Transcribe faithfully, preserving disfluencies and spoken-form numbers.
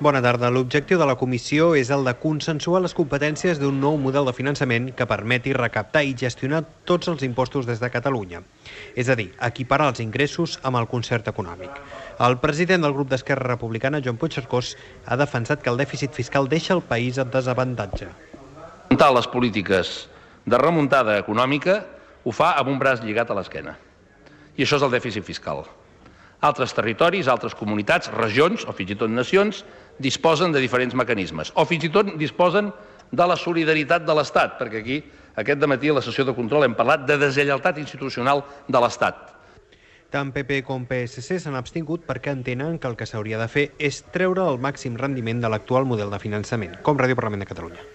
Bona tarda. L'objectiu de la comissió és el de consensuar les competències d'un nou model de finançament que permeti recaptar i gestionar tots els impostos des de Catalunya. És a dir, equiparar els ingressos amb el concert econòmic. El president del grup d'Esquerra Republicana, Joan Puigcercós, ha defensat que el dèficit fiscal deixa el país en desavantatge. Les polítiques de remuntada econòmica ho fa amb un braç lligat a l'esquena. I això és el dèficit fiscal. Altres territoris, altres comunitats, regions o fins i tot nacions disposen de diferents mecanismes o fins i tot disposen de la solidaritat de l'Estat, perquè aquí aquest dematí a la sessió de control hem parlat de deslleialtat institucional de l'Estat. Tant P P com P S C s'han abstingut perquè entenen que el que s'hauria de fer és treure el màxim rendiment de l'actual model de finançament, com Ràdio Parlament de Catalunya.